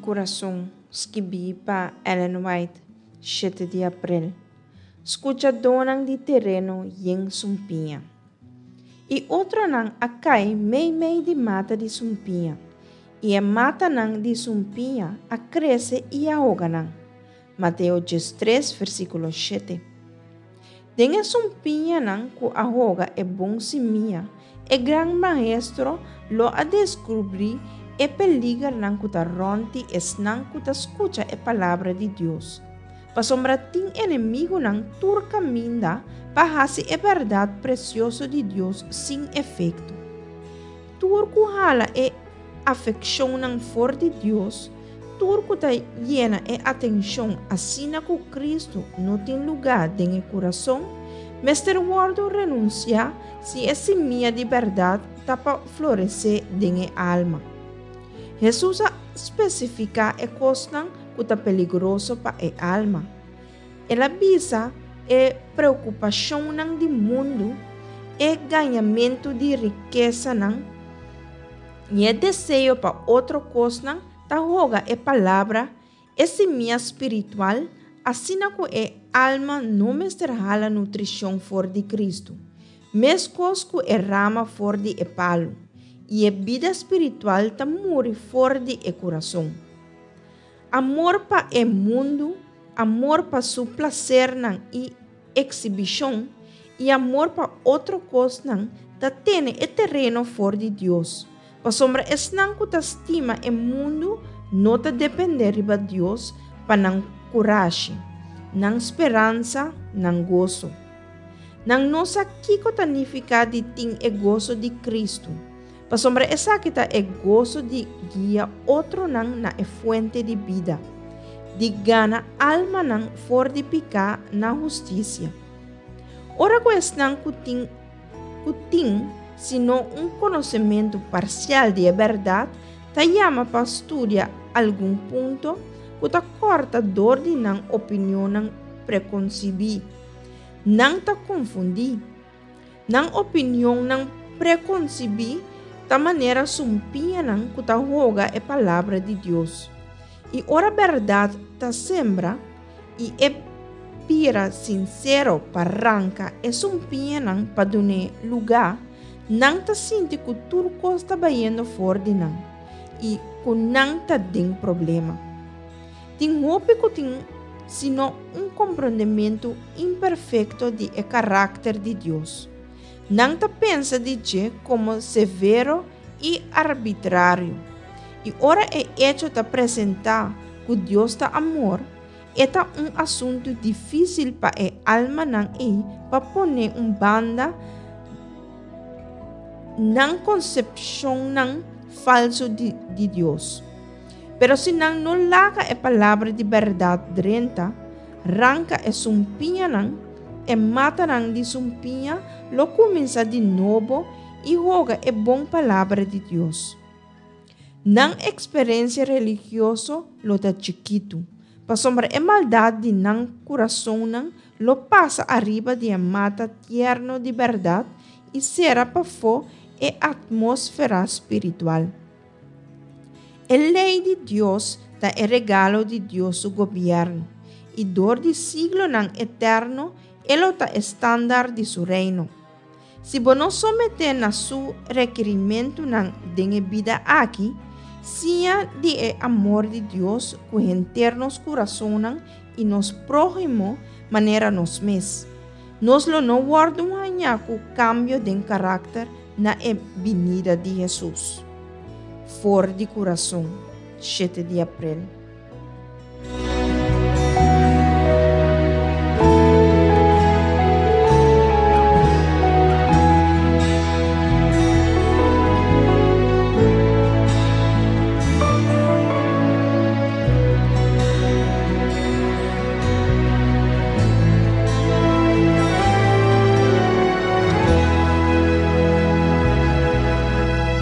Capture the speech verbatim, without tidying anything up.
Kurason, skibí pa Ellen White, shete di aprel. Skuchadónan di tereno yen sumpiña. I otronan a kai meimei di mata di sumpiña, i e matanan di sumpiña a krese i a hoga nan. Mateo diestres, versíkulo shete. Den e sumpiñanan ku a hoga e bon simia, e Gran Maestro lo a deskubrí e peligernan ku ta rònt di esnan ku ta skucha e Palabra di Dios. Pasobra tin enemigunan tur kaminda pa hasi e bèrdat presioso di Dios sin efekto. Tur ku hala e afekshonnan for di Dios, tur ku ta yena e atenshon asina ku Kristu no tin lugá den e kurason, mester wòrdu renunsiá si e simia di bèrdat ta pa floresé den e alma. Hesus a spesifiká e kosnan ku ta peligroso pa e alma. El a bisa e preokupashonnan di mundu, e gañamentu di rikesanan i e deseo pa otro kosnan ta hoga e palabra, e simia spiritual, asina ku e alma no mester hala nutrishon for di Kristu, meskos ku e rama for di e palu, i e bida spiritual ta muri for di e kurason. Amor pa e mundu, amor pa su plasernan i eksibishon, i amor pa otro kosnan ta tene e tereno for di Dios. Pasobra esnan ku ta stima e mundu no ta dependé riba Dios pa nan kurashi, nan speransa, nan goso. Nan no sa kiko ta nifiká di tin e goso di Kristu. Pasobra esaki ta e goso di guia otronan na e fuente di bida, di gana almanan for di piká na hustisia. Ora ku esnan ku tin ku tin sino un konosementu parsial di e bèrdat ta yama pa studia algun punto ku ta kòrta dor di nan opinionnan prekonsibí, nan ta konfundí. Nan opinionnan prekonsibí ta manera sumpiñanan ku ta hoga e Palabra di Dios. I ora bèrdat ta sembra i e bira sinsero pa ranka e sumpiñanan pa dun'é lugá, nan ta sinti ku tur kos ta bayendo for di nan i ku nan ta den problema. Tin hopi ku tin sino un komprondementu imperfekto di e karakter di Dios. Nan ta pensa di dje komo severo i arbitrario. I ora e echo ta presentá ku Dios ta amor, e ta un asuntu difísil pa e almanan ei pa pone un banda nan konsepshonnan falsu di, di Dios. Pero si nan no laga e palabra di bèrdat drenta, ranka e sumpiñanan, e matanan di sumpiña lo kuminsá di nobo i hoga e bon palabra di Dios. Nan eksperensia religioso lo ta chikitu, pasobra e maldat di nan kurasonnan lo pasa ariba di e mata tierno di bèrdat i sera pafó e atmósfera spiritual. E lei di Dios ta e regalo di Dios su gobièrnu, i dor di siglonan eterno e lo ta e standard di su reino. Si bo no someté na su rekerimentunan den e bida aki, siña di e amor di Dios ku henter nos kurasonnan i nos próhimo manera nos mes, nos lo no wòrdu hañá ku kambio den karakter na e binida di Hesus. For di kurason, shete di aprel.